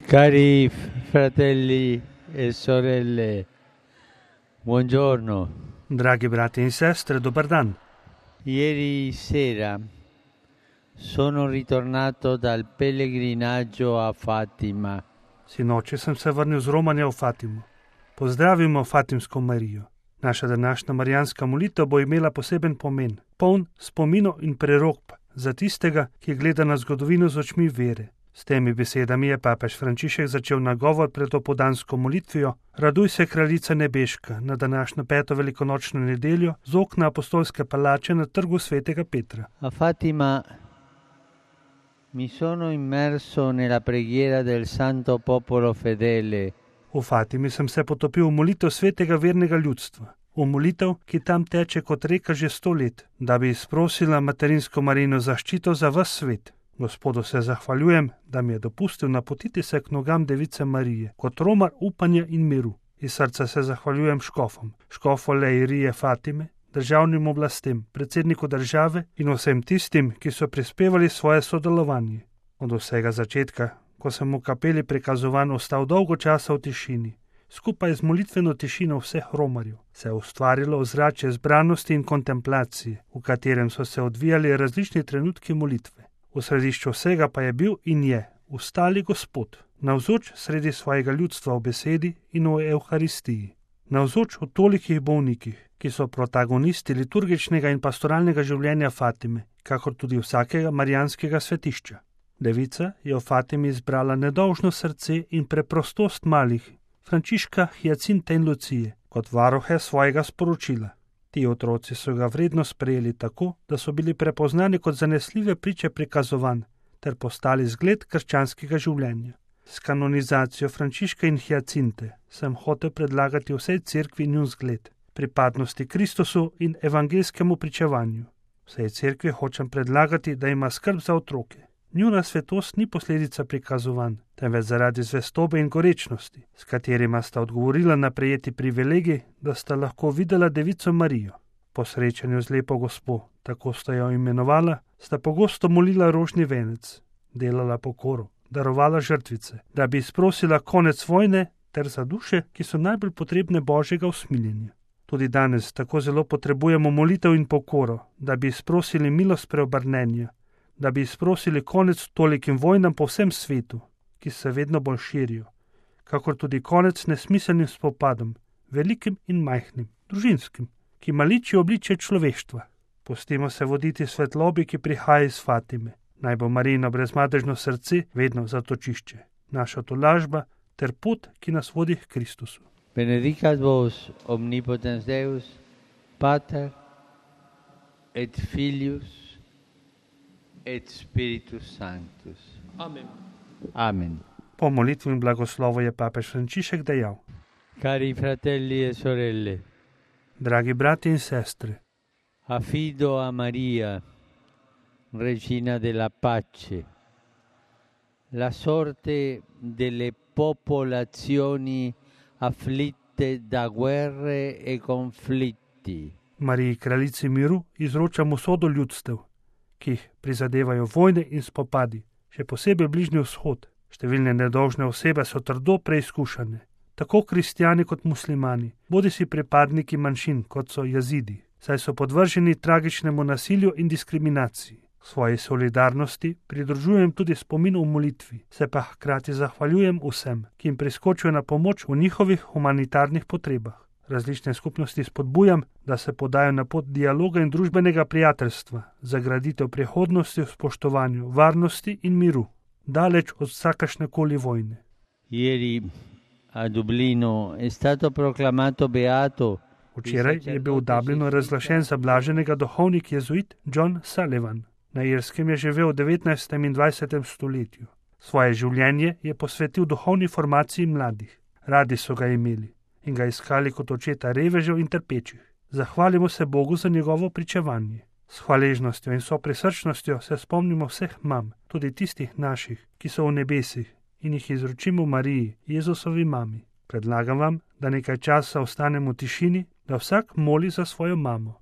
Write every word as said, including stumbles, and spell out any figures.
Cari fratelli e sorelle, buongiorno. Dragi brati in sestre, dobar dan. Ieri sera sono ritornato dal pellegrinaggio a Fatima. Sinoči sem se vrnil z romanja v Fatimo. Pozdravimo Fatimsko Marijo. Naša današnja marijanska molitev bo imela poseben pomen, poln spominov in prerokb za tistega, ki gleda na zgodovino z očmi vere. S temi besedami je papež Frančišek začel nagovor pred opoldansko molitvijo: Raduj se, kraljica nebeška, na današnjo peto velikonočno nedeljo z okna apostolske palače na trgu svetega Petra. A Fatima mi sono immerso nella preghiera del santo popolo fedele. V Fatimi sem se potopil v molitev svetega vernega ljudstva, v molitev, ki tam teče kot reka že sto let, da bi izprosila materinsko Marijino zaščito za ves svet. Gospodu se zahvaljujem, da mi je dopustil napotiti se k nogam Device Marije, kot romar upanja in miru. Iz srca se zahvaljujem škofom, škofu Leirije Fatime, državnim oblastem, predsedniku države in vsem tistim, ki so prispevali svoje sodelovanje. Od vsega začetka, ko sem v kapeli prikazovan ostal dolgo časa v tišini, skupaj z molitveno tišino vseh romarjev, se je ustvarilo ozračje zbranosti in kontemplacije, v katerem so se odvijali različni trenutki molitve. V središču vsega pa je bil in je ustali Gospod, navzoč sredi svojega ljudstva v besedi in v Evharistiji, navzoč v tolikih bolnikih, ki so protagonisti liturgičnega in pastoralnega življenja Fatime, kakor tudi vsakega marijanskega svetišča. Devica je v Fatimi izbrala nedolžno srce in preprostost malih, Frančiška, Hjacinta in Lucije, kot varuhe svojega sporočila. Ti otroci so ga vredno sprejeli tako, da so bili prepoznani kot zanesljive priče prikazovanj ter postali zgled krščanskega življenja. S kanonizacijo Frančiška in Hjacinte sem hotel predlagati vsej cerkvi njun zgled, pripadnosti Kristusu in evangeljskemu pričevanju. Vsej cerkvi hočem predlagati, da ima skrb za otroke. Njuna svetost ni posledica prikazovanj, temveč zaradi zvestobe in gorečnosti, s katerima sta odgovorila na prejeti privilegij, da sta lahko videla Devico Marijo. Po srečanju z lepo gospo, tako sta jo imenovala, sta pogosto molila rožni venec, delala pokoro, darovala žrtvice, da bi izprosila konec vojne ter za duše, ki so najbolj potrebne Božjega usmiljenja. Tudi danes tako zelo potrebujemo molitev in pokoro, da bi izprosili milost preobrnenja, da bi izprosili konec tolikim vojnam po vsem svetu, ki se vedno bolj širijo, kakor tudi konec nesmiselnim spopadom, velikim in majhnim, družinskim, ki maličijo obličje človeštva. Pustimo se voditi svetlobi, ki prihaja iz Fatime. Naj bo Marijino brezmadežno srce vedno zatočišče, naša tolažba ter pot, ki nas vodi k Kristusu. Benedicat vos omnipotens Deus, Pater et Filius et Spiritus Sanctus. Amen. Amen. Po molitvi in blagoslovu je papež Frančišek dejal: Cari fratelli e sorelle, Dragi brati in sestre, affido a Maria, Regina della Pace, la sorte delle popolazioni afflitte da guerre e conflitti. Mariji, kraljici miru, izročamo sodo ljudstev, ki jih prizadevajo vojne in spopadi, še posebej Bližnji vzhod. Številne nedolžne osebe so trdo preizkušane, tako kristjani kot muslimani, bodisi pripadniki manjšin, kot so jazidi, saj so podvrženi tragičnemu nasilju in diskriminaciji. Svoji solidarnosti pridružujem tudi spomin v molitvi, se pa hkrati zahvaljujem vsem, ki jim priskočijo na pomoč v njihovih humanitarnih potrebah. Različne skupnosti spodbujam, da se podajo na pot dialoga in družbenega prijateljstva za graditev prihodnosti v spoštovanju, varnosti in miru, daleč od vsakašnekoli vojne. Ieri a Dublino è stato proclamato beato. Včeraj je bil v Dublinu razglašen za blaženega duhovnik jezuit John Sullivan. Na Irskem je živel v devetnajstem in dvajsetem stoletju. Svoje življenje je posvetil duhovni formaciji mladih. Radi so ga imeli in ga iskali kot očeta revežev in trpečih. Zahvalimo se Bogu za njegovo pričevanje. S hvaležnostjo in soprisrčnostjo se spomnimo vseh mam, tudi tistih naših, ki so v nebesih, in jih izročimo Mariji, Jezusovi mami. Predlagam vam, da nekaj časa ostanemo v tišini, da vsak moli za svojo mamo.